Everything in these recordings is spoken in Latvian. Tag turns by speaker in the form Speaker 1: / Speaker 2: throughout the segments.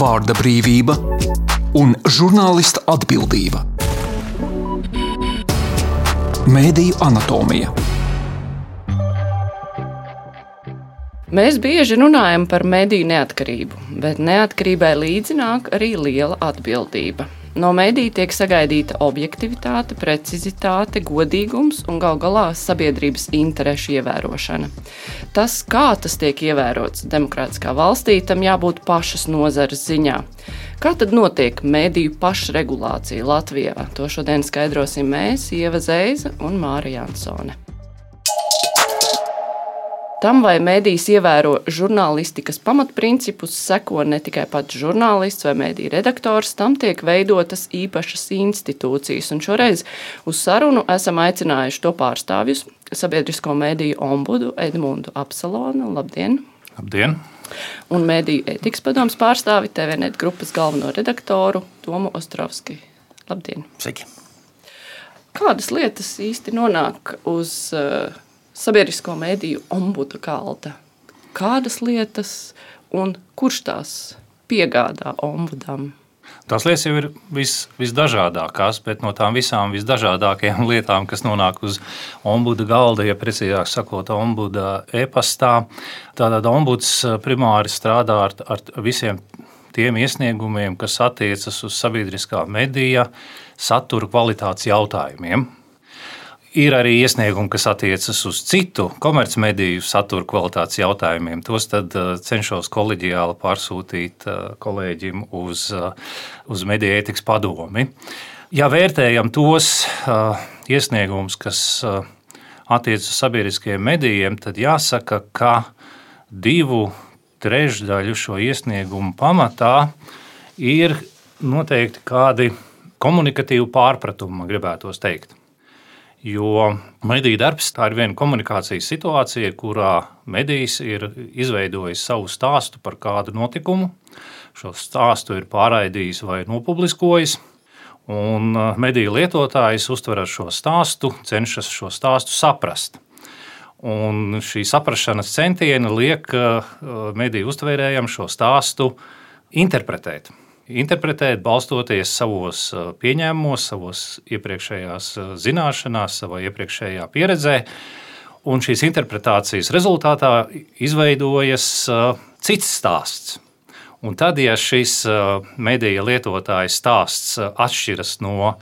Speaker 1: vārda brīvība un žurnālista atbildība. Mēdīju anatomija.
Speaker 2: Mēs bieži runājam par mediju neatkarību, bet neatkarībai līdzi nāk arī liela atbildība. No mediju tiek sagaidīta objektivitāte, precizitāte, godīgums un gal galā sabiedrības interešu ievērošana. Tas, kā tas tiek ievērots demokrātiskā valstī, tam jābūt pašas nozares ziņā. Kā tad notiek mediju pašregulācija Latvijā? To šodien skaidrosim mēs, Ieva Zeiza un Māra Jansone. Tam, vai medijas ievēro žurnālistikas pamatprincipus, seko ne tikai pats žurnālists vai mediju redaktors, tam tiek veidotas īpašas institūcijas. Un šoreiz uz sarunu esam aicinājuši to pārstāvjus, sabiedrisko mediju ombudu Edmundu Apsalonu. Labdien!
Speaker 3: Labdien!
Speaker 2: Un mediju ētikas padomes pārstāvi TVNet grupas galveno redaktoru Tomu Ostrovski. Labdien!
Speaker 4: Sveiki!
Speaker 2: Kādas lietas īsti nonāk uz sabiedrisko mediju ombuda galda? Kādas lietas un kurš tās piegādā ombudam?
Speaker 3: Tās lietas jau ir visdažādākās, bet no tām visām visdažādākajām lietām, kas nonāk uz ombuda galda, ja precīzāk sakot, ombuda e-pastā, tātad ombuds primāri strādā ar visiem tiem iesniegumiem, kas attiecas uz sabiedriskā medija satura kvalitātes jautājumiem. Ir arī iesniegumi, kas attiecas uz citu komercmediju satura kvalitātes jautājumiem. Tos tad cenšos koleģiāli pārsūtīt kolēģim uz mediju ētikas padomi. Ja vērtējam tos iesniegumus, kas attiecas uz sabiedriskajiem medijiem, tad jāsaka, ka 2/3 šo iesniegumu pamatā ir noteikti kādi komunikatīvi pārpratumi, man gribētos teikt. Jo mediju darbs tā ir viena komunikācijas situācija, kurā medijs ir izveidojis savu stāstu par kādu notikumu. Šo stāstu ir pārraidījis vai nopubliskojis, un mediju lietotājs uztver šo stāstu, cenšas šo stāstu saprast. Un šī saprašanas centieni liek mediju uztvērējam šo stāstu interpretēt. Balstoties savos pieņēmumos, savos iepriekšējās zināšanās, savā iepriekšējā pieredzē. Un šīs interpretācijas rezultātā izveidojas cits stāsts. Un tad, ja šis medija lietotājs stāsts atšķiras no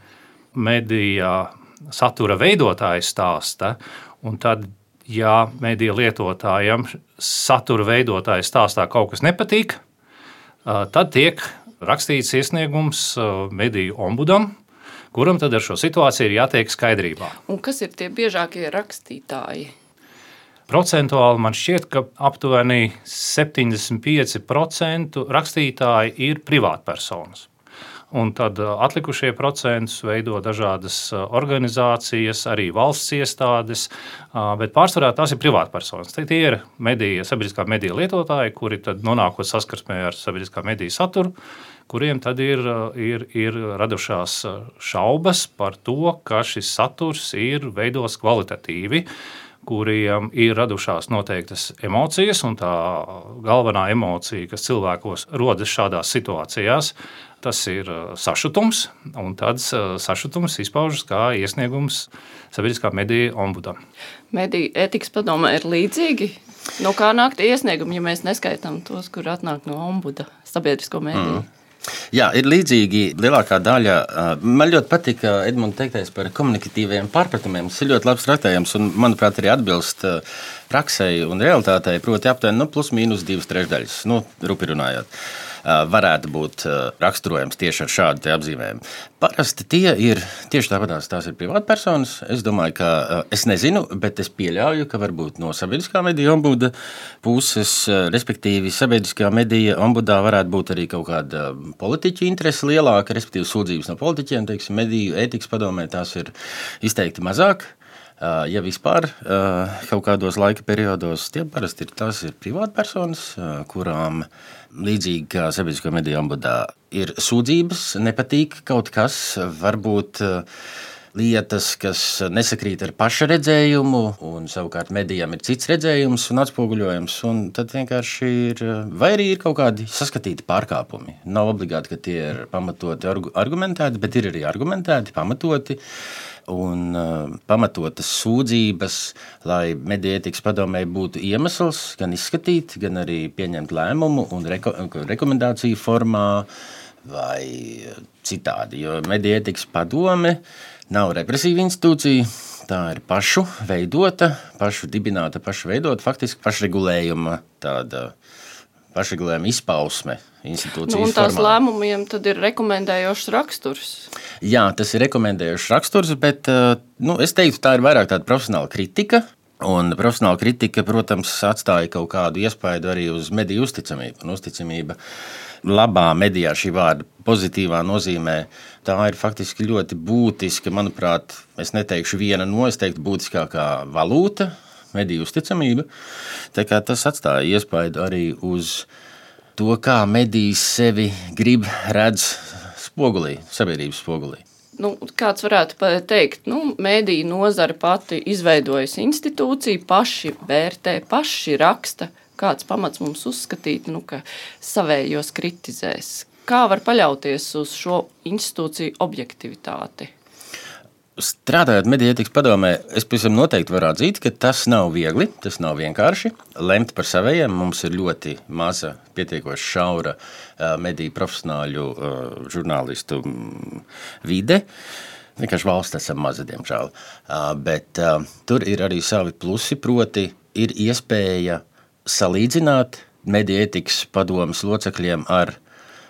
Speaker 3: medija satura veidotāja stāsta, un tad, ja medija lietotājam satura veidotāja stāstā kaut kas nepatīk, tad tiek rakstīts iesniegums mediju ombudam, kuram tad ar šo situāciju ir jātiek skaidrībā.
Speaker 2: Un kas ir tie biežākie rakstītāji?
Speaker 3: Procentuāli man šķiet, ka aptuveni 75% rakstītāji ir privātpersonas. Un tad atlikušie procentus veido dažādas organizācijas, arī valsts iestādes, bet pārsvarā tās ir privātpersonas. Tie ir sabiedriskā mediju lietotāji, kuri tad nonākot saskarsmē ar sabiedriskā mediju saturu, kuriem tad ir radušās šaubas par to, ka šis saturs ir veidos kvalitatīvi, kuriem ir radušās noteiktas emocijas, un tā galvenā emocija, kas cilvēkos rodas šādās situācijās, tas ir sašutums, un tad sašutums izpaužas kā iesniegums sabiedriskā mediju ombudam.
Speaker 2: Mediju ētikas padomē ir līdzīgi? No kā nāk tie iesniegumi, ja mēs neskaitām tos, kur atnāk no ombuda sabiedrisko mediju?
Speaker 4: Jā, ir līdzīgi lielākā daļa. Man ļoti patika Edmunda teiktais par komunikatīviem pārpratumiem. Tas ir ļoti labs traktējums un, manuprāt, arī atbilst praksei un realitātei, proti aptuveni plus mīnus 2/3, rupi runājot. Varētu būt raksturojams tieši ar šādu apzīmējumu. Parasti tie ir tieši tāpatās, tās ir privātpersonas. Es domāju, ka es nezinu, bet es pieļauju, ka varbūt no sabiedriskā mediju ombuda puses, respektīvi sabiedriskā medija ombudā varētu būt arī kaut kāda politiķu interese lielāka, respektīvi sūdzības no politiķiem, teiksim, mediju ētikas padomē tās ir izteikti mazāk. Ja vispār kaut kādos laika periodos, tie parasti tās ir privātpersonas, kurām līdzīgi kā sabiedrisko mediju ombudā ir sūdzības, nepatīk kaut kas, varbūt lietas, kas nesakrīt ar paša redzējumu, un savukārt medijām ir cits redzējums un atspoguļojums. Un tad vienkārši ir, vai arī ir kaut kādi saskatīti pārkāpumi. Nav obligāti, ka tie ir pamatoti, argumentēti, bet ir arī argumentēti, pamatoti. Un pamatotas sūdzības, lai mediju ētikas padomei būtu iemesls gan izskatīt, gan arī pieņemt lēmumu un rekomendāciju formā vai citādi. Jo mediju ētikas padome nav represīva institūcija, tā ir pašu veidota, pašu dibināta, pašu veidota, faktiski pašregulējuma izpausme institūcijas
Speaker 2: un tās
Speaker 4: formā.
Speaker 2: Lēmumiem tad ir rekomendējošs raksturs.
Speaker 4: Jā, tas ir rekomendējošs raksturs, bet es teiktu, tā ir vairāk tāda profesionāla kritika. Un profesionāla kritika, protams, atstāja kaut kādu iespaidu arī uz mediju uzticamību. Un uzticamība labā medijā šī vārda pozitīvā nozīmē, tā ir faktiski ļoti būtiska, manuprāt, es neteikšu viena no, es teiktu būtiskākā valūta, mediju uzticamība. Tā kā tas atstāja iespaidu arī uz to, kā medijas sevi grib redz spogulī, sabiedrības spogulī.
Speaker 2: Kāds varētu teikt, mediju nozare pati izveidojas institūciju, paši vērtē, paši raksta. Kāds pamats mums uzskatīt, ka savējos kritizēs? Kā var paļauties uz šo institūciju objektivitāti?
Speaker 4: Strādājot mediju ētikas padomē, es pavisam noteikti varu atzīt, ka tas nav viegli, tas nav vienkārši. Lemt par savējiem mums ir ļoti maza, pietiekoši šaura mediju profesionāļu žurnālistu vide. Vienkārši valsts esam maza, diemžēl. Bet tur ir arī savi plusi, proti ir iespēja salīdzināt mediju ētikas padomes locekļiem ar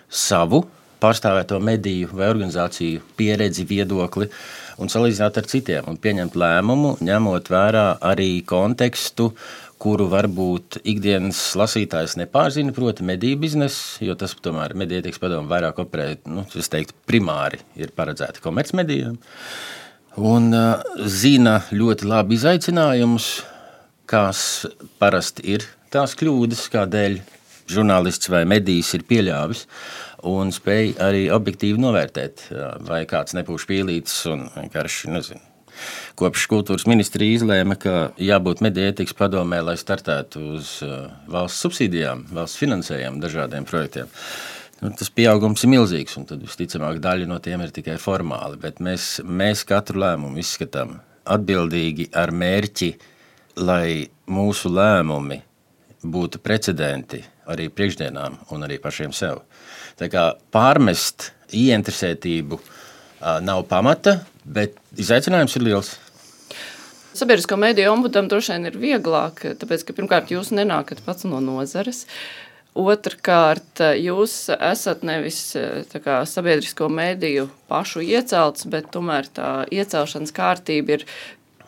Speaker 4: savu pārstāvēto mediju vai organizāciju pieredzi, viedokli un salīdzināt ar citiem un pieņemt lēmumu, ņemot vērā arī kontekstu, kuru varbūt ikdienas lasītājs nepārzina, proti mediju biznesu, jo tas tomēr mediju ētikas padome vairāk operē, es teiktu, primāri ir paredzēti komercmedijām un zina ļoti labi izaicinājumus, kas parasti ir tās kļūdas, kādēļ žurnālists vai medijs ir pieļāvis, un spēj arī objektīvi novērtēt, vai kāds nepūš pīlītes un vienkārši, kopš kultūras ministrija izlēma, ka jābūt mediju ētikas padomē, lai startētu uz valsts subsīdijām, valsts finansējumu dažādiem projektiem. Tas pieaugums ir milzīgs, un tad visticamāk daļa no tiem ir tikai formāli, bet mēs katru lēmumu izskatām atbildīgi ar mērķi, lai mūsu lēmumi būtu precedenti arī priekšdienām un arī pašiem sev. Tā kā pārmest ieinteresētību nav pamata, bet izaicinājums ir liels.
Speaker 2: Sabiedrisko mediju ombudam droši vien ir vieglāk, tāpēc, ka pirmkārt jūs nenākat pats no nozares. Otrkārt, jūs esat nevis sabiedrisko mediju pašu iecelts, bet tomēr tā iecelšanas kārtība ir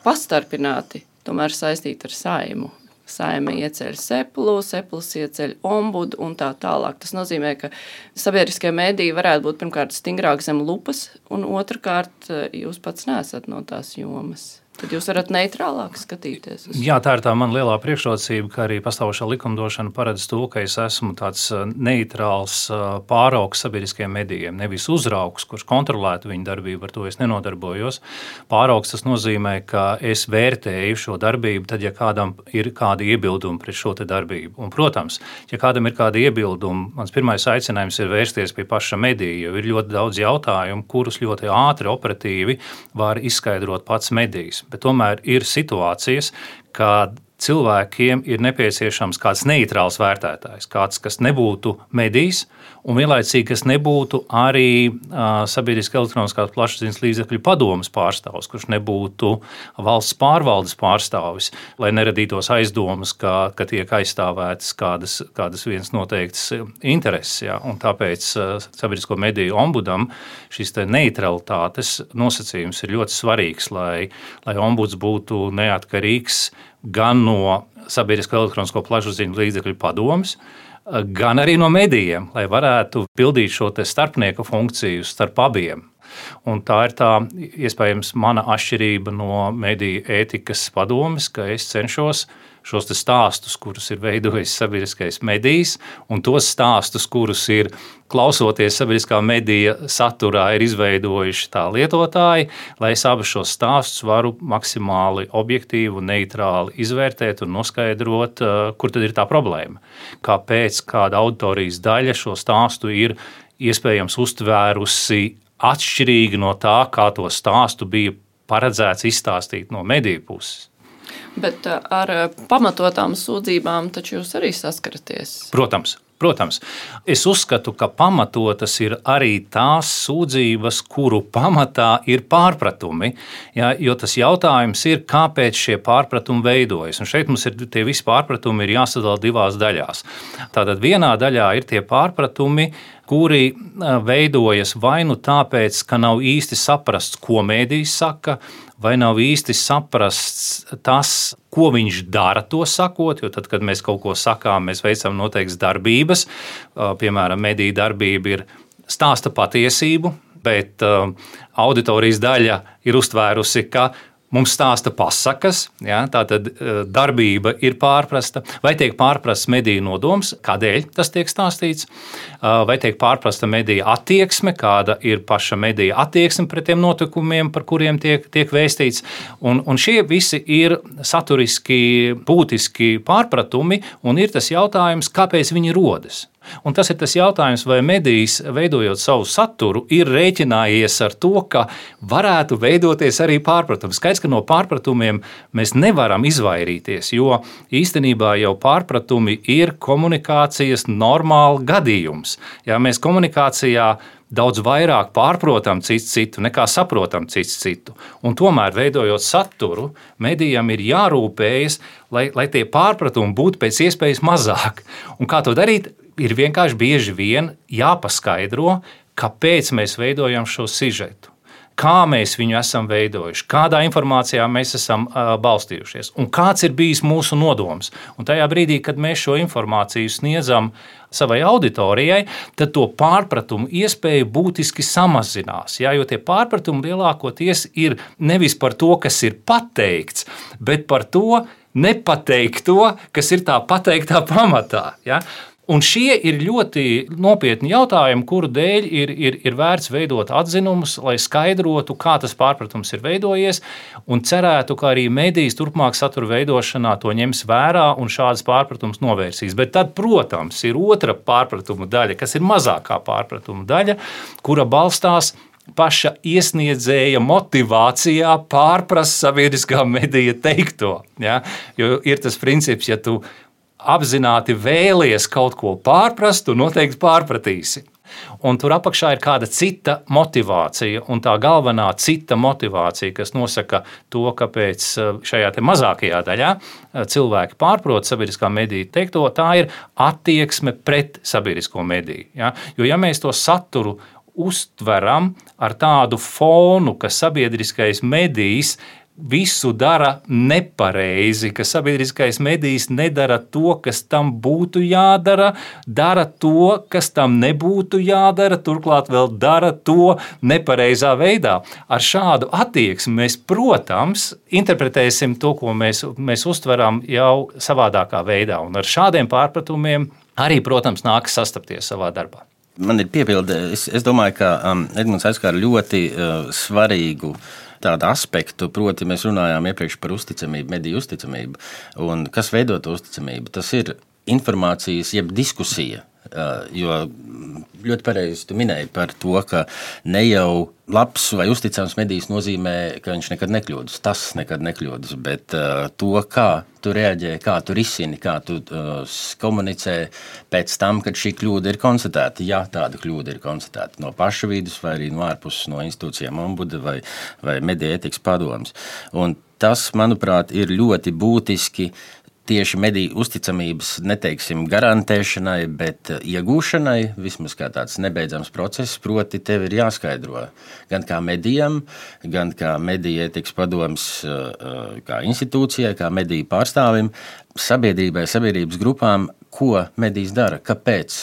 Speaker 2: pastarpināti, tomēr saistīta ar Saimu. Saima ieceļ Seplu, Sepls ieceļ ombudu un tā tālāk. Tas nozīmē, ka sabiedriskie mediji varētu būt pirmkārt stingrāk zem lupas, un otrkārt jūs pats neesat no tās jomas. Tad jūs varat neitrālāk skatīties.
Speaker 3: Jā, tā ir tā mana lielā priekšrocība, ka arī pastāvošā likumdošana paredz to, ka es esmu tāds neitrāls pāraugs sabiedriskiem medijiem, nevis uzraugs, kurš kontrolētu viņu darbību, ar to es nenodarbojos. Pāraugs tas nozīmē, ka es vērtēju šo darbību, tad, ja kādam ir kādi iebildumi pret šo te darbību. Un, protams, ja kādam ir kādi iebildumi, mans pirmais aicinājums ir vērsties pie paša medija, jo ir ļoti daudz jautājumu, kurus ļoti ātri, operatīvi var izskaidrot pats medijs. Bet tomēr ir situācijas, kad cilvēkiem ir nepieciešams kāds neitrāls vērtētājs, kāds, kas nebūtu medijs, un vienlaicīgi, kas nebūtu arī sabiedriskā elektroniskās plašsaziņas līdzekļu padomes pārstāvis, kurš nebūtu valsts pārvaldes pārstāvis, lai neradītos aizdomas, ka tiek aizstāvētas kādas vienas noteiktas intereses. Ja? Un tāpēc sabiedrisko mediju ombudam šis neitralitātes nosacījums ir ļoti svarīgs, lai ombuds būtu neatkarīgs gan no sabiedrisko elektronisko plašsaziņu līdzekļu padomes, gan arī no medijiem, lai varētu pildīt šo te starpnieka funkciju starp abiem. Un tā ir tā iespējams mana atšķirība no mediju ētikas padomes, ka es cenšos šos stāstus, kurus ir veidojis sabiedriskais medijs, un tos stāstus, kurus ir klausoties sabiedriskā medija saturā, ir izveidojuši tā lietotāji, lai es abus šos stāstus varu maksimāli objektīvi un neitrāli izvērtēt un noskaidrot, kur tad ir tā problēma. Kāpēc kāda auditorijas daļa šo stāstu ir iespējams uztvērusi atšķirīgi no tā, kā to stāstu bija paredzēts izstāstīt no mediju puses.
Speaker 2: Bet ar pamatotām sūdzībām taču jūs arī saskaraties?
Speaker 3: Protams. Es uzskatu, ka pamatotas ir arī tās sūdzības, kuru pamatā ir pārpratumi, ja, jo tas jautājums ir, kāpēc šie pārpratumi veidojas. Un šeit mums ir tie visi pārpratumi ir jāsadala divās daļās. Tātad vienā daļā ir tie pārpratumi, kuri veidojas vai nu tāpēc, ka nav īsti saprasts, ko mēdījis saka, vai nav īsti saprasts tas, ko viņš dara to sakot, jo tad, kad mēs kaut ko sakām, mēs veicam noteiktas darbības. Piemēram, mediju darbība ir stāsta patiesību, bet auditorijas daļa ir uztvērusi, ka mums stāsta pasakas, ja, tātad darbība ir pārprasta, vai tiek pārprasts mediju nodoms, kādēļ tas tiek stāstīts, vai tiek pārprasta mediju attieksme, kāda ir paša mediju attieksme pret tiem notikumiem, par kuriem tiek vēstīts. Un šie visi ir saturiski būtiski pārpratumi, un ir tas jautājums, kāpēc viņi rodas. Un tas ir tas jautājums, vai medijs, veidojot savu saturu, ir rēķinājies ar to, ka varētu veidoties arī pārpratumi. Skaidrs, ka no pārpratumiem mēs nevaram izvairīties, jo īstenībā jau pārpratumi ir komunikācijas normāli gadījums. Ja mēs komunikācijā daudz vairāk pārprotam citu nekā saprotam citu. Un tomēr, veidojot saturu, medijam ir jārūpējas, lai tie pārpratumi būtu pēc iespējas mazāk. Un kā to darīt? Ir vienkārši bieži vien jāpaskaidro, kāpēc mēs veidojam šo sižetu, kā mēs viņu esam veidojuši, kādā informācijā mēs esam balstījušies un kāds ir bijis mūsu nodoms. Un tajā brīdī, kad mēs šo informāciju sniedzam savai auditorijai, tad to pārpratumu iespēja būtiski samazinās. Ja, jo tie pārpratumi lielākoties ir nevis par to, kas ir pateikts, bet par to nepateikt to, kas ir tā pateiktā pamatā. Ja. Un šie ir ļoti nopietni jautājumi, kuru dēļ ir vērts veidot atzinumus, lai skaidrotu, kā tas pārpratums ir veidojies, un cerētu, ka arī medijas turpmāk satura veidošanā to ņems vērā un šādas pārpratumus novērsīs. Bet tad, protams, ir otra pārpratumu daļa, kas ir mazākā pārpratumu daļa, kura balstās paša iesniedzēja motivācijā pārprast sabiedriskā medija teikto. Ja? Jo ir tas princips, ja tu apzināti vēlies kaut ko pārprast, tu noteikti pārpratīsi. Un tur apakšā ir kāda cita motivācija, un tā galvenā cita motivācija, kas nosaka to, kāpēc šajā te mazākajā daļā cilvēki pārprot sabiedriskā medija teikto, tā ir attieksme pret sabiedrisko mediju. Ja? Jo ja mēs to saturu uztveram ar tādu fonu, ka sabiedriskais medijs visu dara nepareizi, ka sabiedriskais medijs nedara to, kas tam būtu jādara, dara to, kas tam nebūtu jādara, turklāt vēl dara to nepareizā veidā. Ar šādu attieksmi mēs, protams, interpretēsim to, ko mēs uztveram jau savādākā veidā, un ar šādiem pārpratumiem arī, protams, nākas sastapties savā darbā.
Speaker 4: Man ir piebilde, es domāju, ka Edmunds aizskāra ļoti svarīgu tādu aspektu, proti mēs runājām iepriekš par uzticamību, mediju uzticamību. Un kas veido to uzticamību? Tas ir informācijas jeb diskusija. Jo ļoti pareizi tu minēji par to, ka ne jau labs vai uzticams medijs nozīmē, ka viņš nekad nekļūdas. Tas nekad nekļūdas, bet to, kā tu reaģē, kā tu risini, kā tu komunicē pēc tam, kad šī kļūda ir konstatēta. Ja tāda kļūda ir konstatēta no paša vidus vai arī no ārpuses no institūcijām ombuda vai mediju ētikas padomes. Un tas, manuprāt, ir ļoti būtiski tieši mediju uzticamības, neteiksim, garantēšanai, bet iegūšanai, vismaz kā tāds nebeidzams process, proti tev ir jāskaidro gan kā medijam, gan kā mediju ētikas padomes kā institūcijai, kā mediju pārstāvim, sabiedrībai, sabiedrības grupām, ko medijs dara, kāpēc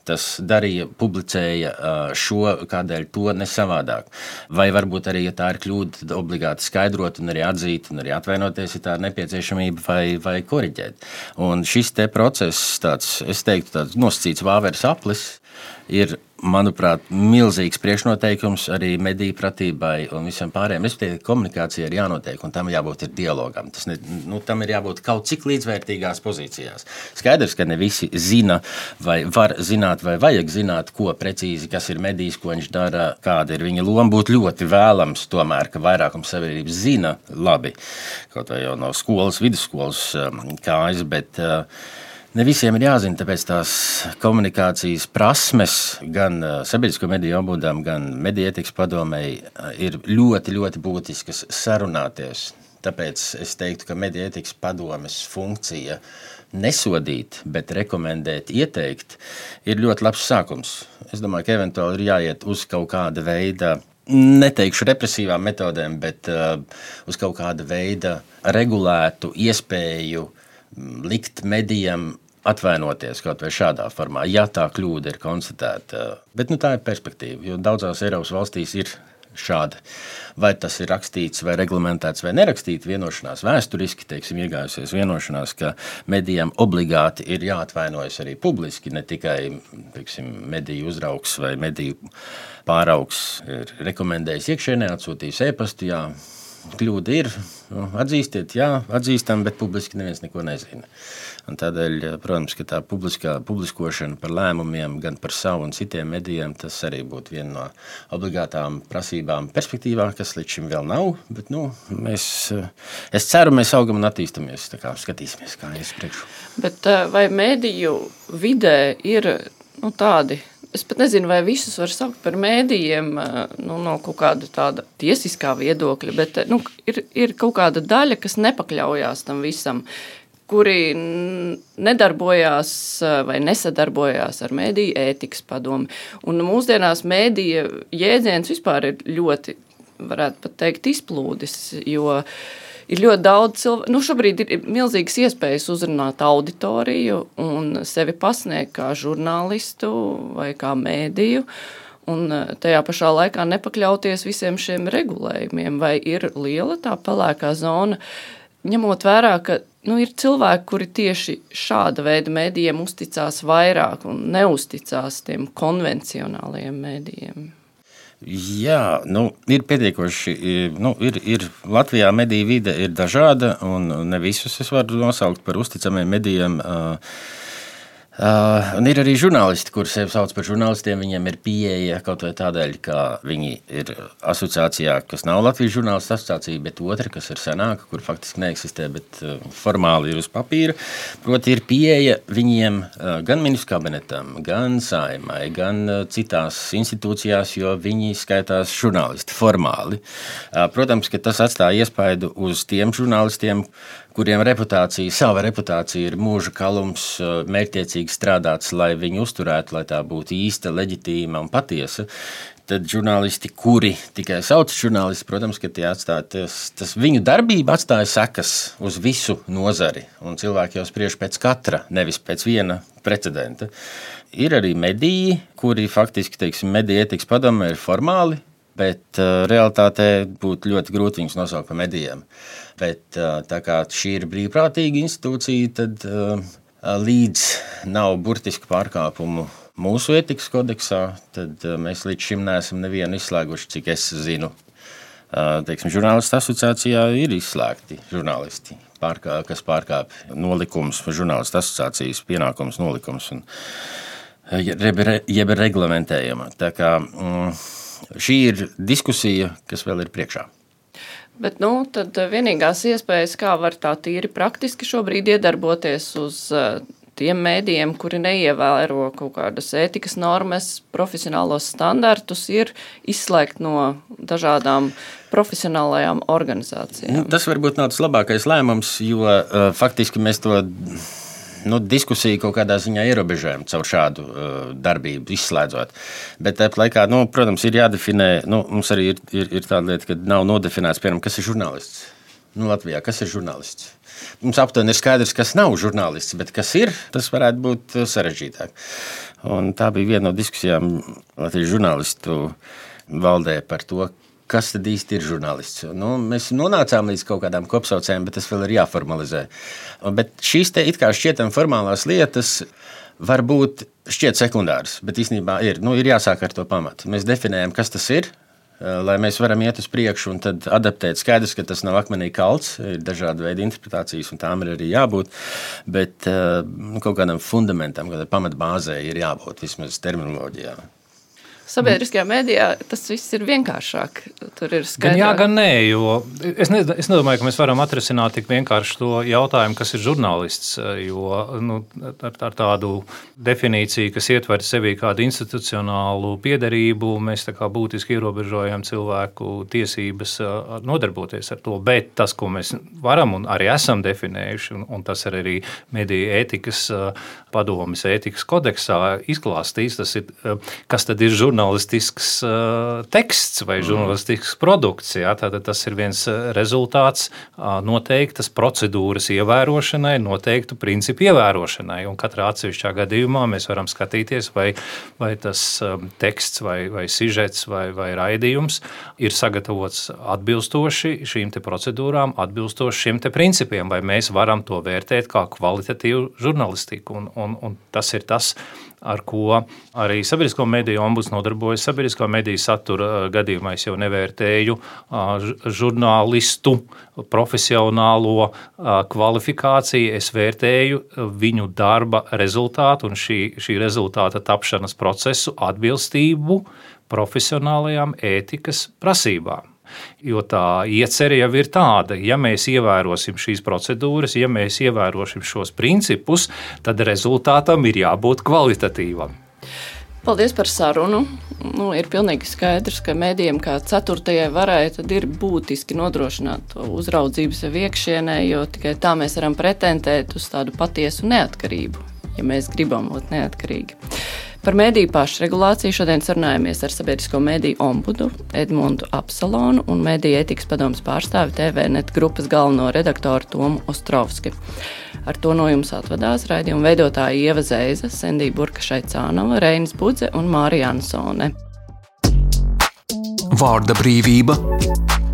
Speaker 4: tas darīja, publicēja šo, kādēļ to ne savādāk. Vai varbūt arī, ja tā ir kļūda, tad obligāti skaidrot un arī atzīt un arī atvainoties, ja tā ir nepieciešamība vai koriģēt. Un šis te process, es teiktu, tāds nosacīts vāveres aplis, ir, manuprāt, milzīgs priekšnoteikums arī mediju pratībai un visam pārējiem. Respektīvi, komunikācija ir jānotiek, un tam jābūt ir dialogam. Tam ir jābūt kaut cik līdzvērtīgās pozīcijās. Skaidrs, ka ne visi zina, vai var zināt, vai vajag zināt, ko precīzi, kas ir medijs, ko viņš dara, kāda ir viņa loma. Būtu ļoti vēlams tomēr, ka vairākums sabiedrības zina labi, kaut vai jau no skolas, vidusskolas kājas, bet ne visiem ir jāzina, tāpēc tās komunikācijas prasmes gan sabiedrisko mediju ombudam, gan mediju ētikas padomei ir ļoti, ļoti būtiskas sarunāties. Tāpēc es teiktu, ka mediju ētikas padomes funkcija nesodīt, bet rekomendēt, ieteikt, ir ļoti labs sākums. Es domāju, ka eventuāli ir jāiet uz kaut kāda veida, neteikšu represīvām metodēm, bet uz kaut kāda veida regulētu iespēju likt medijam atvainoties kaut vai šādā formā, ja tā kļūda ir konstatēta. Bet tā ir perspektīva, jo daudzās Eiropas valstīs ir šādi. Vai tas ir rakstīts vai reglamentēts vai nerakstīts vienošanās vēsturiski, iegājusies vienošanās, ka medijam obligāti ir jāatvainojas arī publiski, ne tikai mediju uzraugs vai mediju pāraugs ir rekomendējis iekšēnē, atsūtījis e-pastu, jā, kļūda ir, atzīstiet, jā, atzīstam, bet publiski neviens neko nezina. Un tādēļ, protams, ka tā publiskošana par lēmumiem gan par savu un citiem medijiem, tas arī būtu viena no obligātām prasībām perspektīvā, kas līdz šim vēl nav, bet es ceru, mēs augam un attīstamies, tā kā skatīsimies, kā ies priekšu.
Speaker 2: Bet vai mediju vidē ir tādi, es pat nezinu, vai visus var saukt par mēdījiem no kaut kāda tāda tiesiskā viedokļa, bet ir kaut kāda daļa, kas nepakļaujās tam visam, kuri nedarbojās vai nesadarbojās ar mediju ētikas padomi. Un mūsdienās medija jēdziens vispār ir ļoti, varētu pat teikt, izplūdis, jo ir ļoti daudz cilvēku. Šobrīd ir milzīgas iespējas uzrunāt auditoriju un sevi pasniegt kā žurnālistu vai kā mēdīju, un tajā pašā laikā nepakļauties visiem šiem regulējumiem. Vai ir liela tā pelēkā zona, ņemot vērā, ka ir cilvēki, kuri tieši šāda veida mēdījiem uzticās vairāk un neuzticās tiem konvencionālajiem mēdījiem?
Speaker 4: Jā, ir pietiekoši, ir Latvijā mediju vide ir dažāda, un ne visus es varu nosaukt par uzticamiem medijiem. Un ir arī žurnālisti, kuri sevi sauc par žurnālistiem, viņiem ir pieeja kaut vai tādēļ, ka viņi ir asociācijā, kas nav Latvijas žurnālistu asociācija, bet otra, kas ir senāka, kur faktiski neeksistē, bet formāli ir uz papīra. Proti ir pieeja viņiem gan ministru kabinetam, gan Saeimai, gan citās institūcijās, jo viņi skaitās žurnālisti formāli. Protams, ka tas atstāja iespaidu uz tiem žurnālistiem, kuriem sava reputācija ir mūža kalums, mērķtiecīgi strādāts, lai viņu uzturētu, lai tā būtu īsta, leģitīma un patiesa. Tad žurnālisti, kuri tikai sauc žurnālisti, protams, ka tas viņu darbība atstāja sekas uz visu nozari, un cilvēki jau spriež pēc katra, nevis pēc viena precedenta. Ir arī mediji, kuri faktiski, mediju ētikas padomē ir formāli, bet realitātē būtu ļoti grūti viņus nosaukt par medijiem. Bet tā kā šī ir brīvprātīga institūcija, tad līdz nav burtisku pārkāpumu mūsu ētikas kodeksā, tad mēs līdz šim neesam nevienu izslēguši, cik es zinu. Žurnālistu asociācijā ir izslēgti žurnālisti, kas pārkāpj nolikums, žurnālistu asociācijas pienākums, nolikums un jeb reglamentējama. Tā kā šī ir diskusija, kas vēl ir priekšā.
Speaker 2: Bet tad vienīgās iespējas, kā var tā tīri praktiski šobrīd iedarboties uz tiem mēdījiem, kuri neievēro kaut kādas ētikas normas, profesionālos standartus, ir izslēgt no dažādām profesionālajām organizācijām.
Speaker 4: Tas varbūt nav tas labākais lēmums, jo faktiski mēs to diskusiju kaut kādā ziņā ierobežojam caur šādu darbību, izslēdzot. Bet tāpat laikā, protams, ir jādefinē, mums arī ir tāda lieta, ka nav nodefinēts, piemēram, kas ir žurnālists. Latvijā, kas ir žurnālists? Mums aptuveni ir skaidrs, kas nav žurnālists, bet kas ir, tas varētu būt sarežģītāk. Un tā bija viena no diskusijām Latvijas žurnālistu valdē par to, kas tad īsti ir žurnālists. Mēs nonācām līdz kaut kādām kopsaucējiem, bet tas vēl ir jāformalizē. Bet šīs te it kā šķietam formālās lietas var būt šķiet sekundāras, bet īstenībā ir jāsāk ar to pamatu. Mēs definējam, kas tas ir, lai mēs varam iet uz priekšu un tad adaptēt. Skaidrs, ka tas nav akmenī kalts, ir dažādi veidi interpretācijas, un tām ir arī jābūt, bet kaut kādam fundamentam, kādai pamatbāzei ir jābūt vismaz terminoloģijā.
Speaker 2: Sabiedriskajā mēdījā tas viss ir vienkāršāk. Tur ir skaidrāk.
Speaker 3: Gan jā, gan nē, jo es nedomāju, ka mēs varam atrisināt tik vienkārši to jautājumu, kas ir žurnālists, jo ar tādu definīciju, kas ietver sevī kādu institucionālu piederību, mēs tā kā būtiski ierobežojam cilvēku tiesības nodarboties ar to, bet tas, ko mēs varam un arī esam definējuši, un tas ir arī mediju ētikas padomes ētikas kodeksā izklāstīts, tas ir, kas tad ir žurnālistisks teksts vai žurnālistisks produkts. Jā, tātad tas ir viens rezultāts noteiktas procedūras ievērošanai, noteiktu principu ievērošanai. Un katrā atsevišķā gadījumā mēs varam skatīties, vai tas teksts vai sižets vai raidījums ir sagatavots atbilstoši šīm te procedūrām, atbilstoši šiem te principiem, vai mēs varam to vērtēt kā kvalitatīvu žurnālistiku. Un tas ir tas, ar ko arī sabiedrisko mediju ombuds nodarbojas. Sabiedrisko mediju satura gadījumā es jau nevērtēju žurnālistu profesionālo kvalifikāciju, es vērtēju viņu darba rezultātu un šī rezultāta tapšanas procesu atbilstību profesionālajām ētikas prasībām. Jo tā iecerē jau ir tāda, ja mēs ievērosim šīs procedūras, ja mēs ievērosim šos principus, tad rezultātam ir jābūt kvalitatīvam.
Speaker 2: Paldies par sarunu. Ir pilnīgi skaidrs, ka medijiem kā ceturtajai varai tad ir būtiski nodrošināt to uzraudzību sev iekšienē, jo tikai tā mēs varam pretendēt uz tādu patiesu neatkarību, ja mēs gribam būt neatkarīgi. Par mediju pašregulāciju šodien sarunājamies ar sabiedrisko mediju ombudu Edmundu Apsalonu un mediju ētikas padomes pārstāvi TVNet grupas galveno redaktoru Tomu Ostrovski. Ar to no jums atvadās raidījuma veidotāji Ieva Zeiza, Sendija Burka-Šaicānova, Reinis Budze un Mārija Ansone.
Speaker 1: Vārda brīvība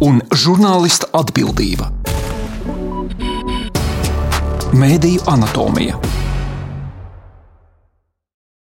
Speaker 1: un žurnālista atbildība. Mēdiju anatomija.